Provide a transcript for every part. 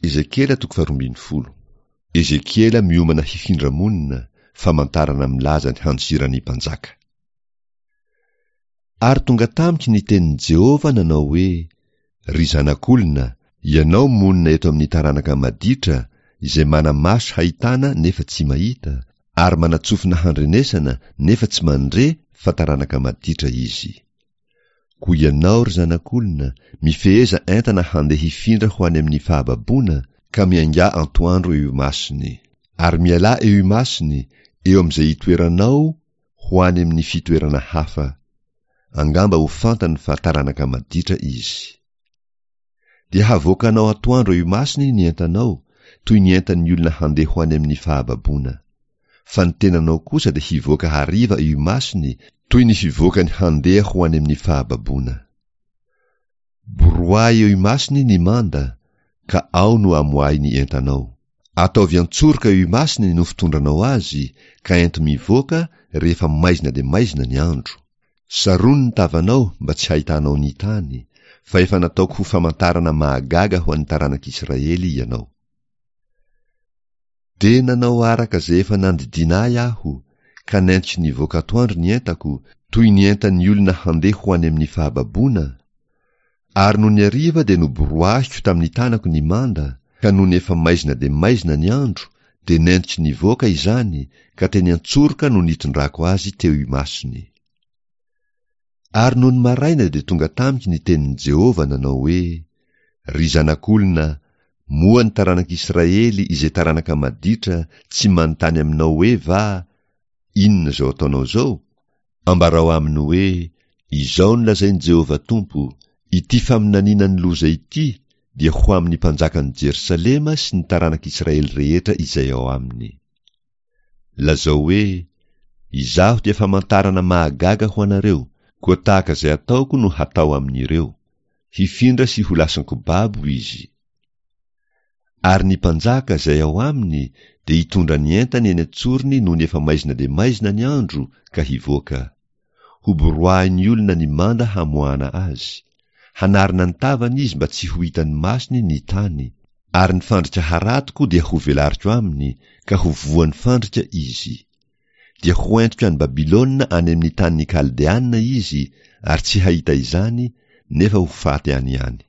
Ezekiela toko faharoambinifolo. Ezekiela miomana hifindra monina, famantarana milaza ny handosiran'ny mpanjaka. Ary tonga tamiko ny tenin'i Jehovah nanao hoe, Ry zanak'olona, ianao monina eto amin'ny taranaka maditra, izay mana-maso hahitana nefa tsy mahita, ary mana-tsofina handrenesana nefa tsy mandre fa taranaka maditra izy. Koa ianao, ry zanak'olona, mifeheza entana handeha hifindra ho any amin'ny fahababoana, ka miaingà antoandro eo imasony. Ary mialà eo imasony, eo amin'izay itoeranao, ho any amin'ny fitoerana hafa. Angamba ho fantany fa taranaka maditra izy. Dia havoakanao atoandro eo imasony ny entanao, toy ny entan'ny olona handeha ho any amin'ny fahababoana. Fa ny tenanao kosa dia hivoaka hariva eo imasony, toy ny fivoakany handeha ho any amin'ny fahababoana. Boroahy eo imasony ny manda, ka ao no amoahy ny entanao. Ataovy an-tsoroka eo imasony no fitondranao azy, ka ento mivoaka rehefa maizina dia maizina ny andro. Sarony ny tavanao mba tsy hahitanao ny tany, fa efa nataoko ho famantarana mahagaga ho an'ny taranak'Israely ianao. Dia nanao araka izay efa nandidiana ahy aho, ka nentiko nivoaka atoandro ny entako, toy ny entan'ny olona handeha ho any amin'ny fahababoana, ary nony hariva dia noboroahiko tamin'ny tanako ny manda, ka nony efa maizina dia maizina ny andro, dia nentiko nivoaka izany, ka teny an-tsoroka no nitondrako azy teo imasony. Ary nony maraina dia tonga tamiko ny tenin'i Jehovah nanao hoe, Ry zanak'olona, moa ny taranak'Israely izay taranaka maditra tsy manontany aminao hoe va, Inona izao ataonao izao? Ambarao aminy hoe, Izao no lazain'i Jehovah Tompo, Ity faminaniana ny loza ity dia ho amin'ny mpanjakan'i Jerosalema sy ny taranak'Israely rehetra izay ao aminy. Lazao hoe, Izaho dia famantarana mahagaga ho anareo, koa tahaka izay ataoko no hatao amin'ireo. Hifindra sy ho lasan-ko babo izy. Ary ny mpanjaka izay ao aminy dia hitondra ny entany eny an-tsorony nony efa maizina dia maizina ny andro ka hivoaka. Hoboroahin'ny olona ny manda hamoahana azy. Hanarina ny tavany izy mba tsy ho hitan'ny masony ny tany, ary ny fandrika haratoko dia hovelariko aminy, ka ho voan'ny fandrika izy. Dia hoentiko any Babylona any amin'ny tanin'ny Kaldeana izy, ary tsy hahita izany, nefa ho faty any ihany.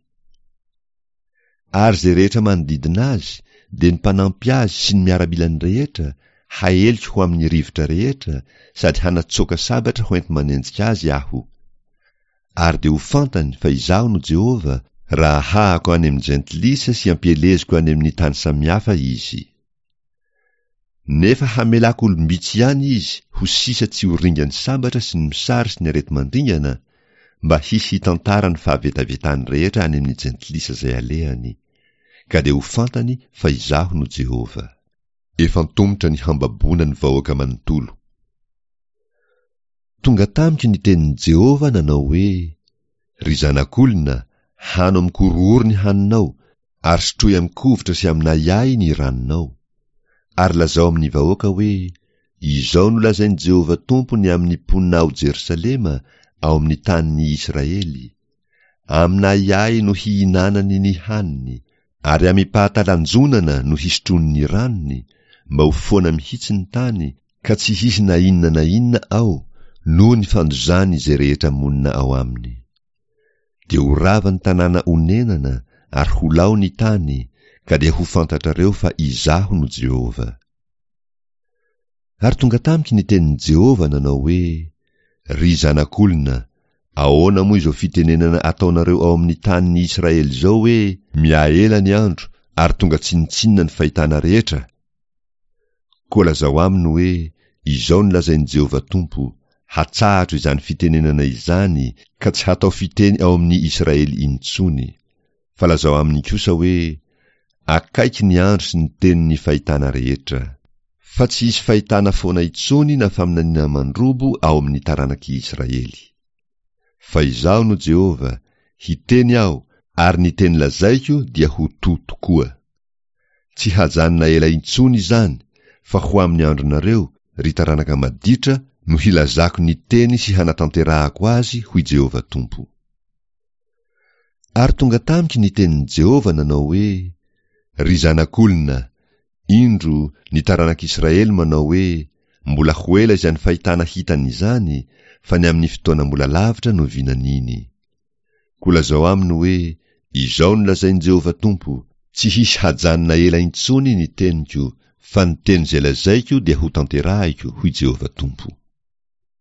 Ary izay rehetra manodidina azy, dia ny mpanampy azy sy ny miaramilany rehetra, haeliko ho amin'ny rivotra rehetra, sady hanatsoaka sabatra hoenti-manenjika azy Aho. Ary dia ho fantany fa Izaho no Jehovah, raha ahahako any amin'ny jentilisa sy ampieleziko any amin'ny tany samihafa izy. Nefa hamelako olom-bitsy ihany izy ho sisa tsy ho ringan'ny sabatra sy ny mosary sy ny areti-mandringana, mba hisy hitantara ny fahavetavetany rehetra any amin'ny jentilisa izay alehany. Ka dia ho fantany fa Izaho no Jehovah. Efa antomotra ny hambaboana ny vahoaka manontolo. Tonga tamiko ny tenin'i Jehovah nanao hoe, Ry zanak'olona, hano amin-korohoro ny haninao, ary sotroy amin-kovitra sy amin'ahiahy ny ranonao. Ary lazao amin'ny vahoaka hoe, Izao no lazain'i Jehovah Tompo ny amin'ny mponina ao Jerosalema, ao amin'ny tanin'ny Israely, Amin'ahiahy no hihinanany ny haniny, ary amim-pahatalanjonana no hisotroany ny ranony, mba ho foana mihitsy ny tany, ka tsy hisy na inona na inona ao, noho ny fandozany izay rehetra monina ao aminy. Dia ho rava ny tanàna onenana ary ho lao ny tany, ka dia ho fantatrareo fa Izaho no Jehovah. Ary tonga tamiko ny tenin'i Jehovah nanao hoe, Ry zanak'olona, ahoana moa izao fitenenana ataonareo ao amin'ny tanin'ny Israely izao hoe, Mihaela ny andro ary tonga tsinontsinona ny fahitana rehetra? Koa lazao aminy hoe, Izao no lazain'i Jehovah Tompo, Hatsahatro izany fitenenana izany ka tsy hatao fiteny ao amin'ny Israely intsony. Fa lazao aminy kosa hoe, Akaiky ny andro sy ny tenin'ny fahitana rehetra. Fa tsy hisy fahitana foana intsony na faminaniana mandrobo ao amin'ny taranak'i Israely. Fa Izaho no Jehovah, hiteny Aho, ary ny teny lazaiko dia ho to tokoa. Tsy hajanona ela intsony izany, fa ho amin'ny andronareo, ry taranaka maditra, no hilazako ny teny sy hanatanterahako azy, hoy Jehovah Tompo. Ary tonga tamiko ny tenin'i Jehovah nanao hoe, Ry zanak'olona, indro, ny taranak'Israely manao hoe, Mbola ho ela izany fahitana hitany izany, fa ny amin'ny fotoana mbola lavitra no vinaniny. Koa lazao aminy hoe, Izao no lazain'i Jehovah Tompo, Tsy hisy hajanona ela intsony ny teniko, fa ny teny izay lazaiko dia hotanterahiko, hoy Jehovah Tompo.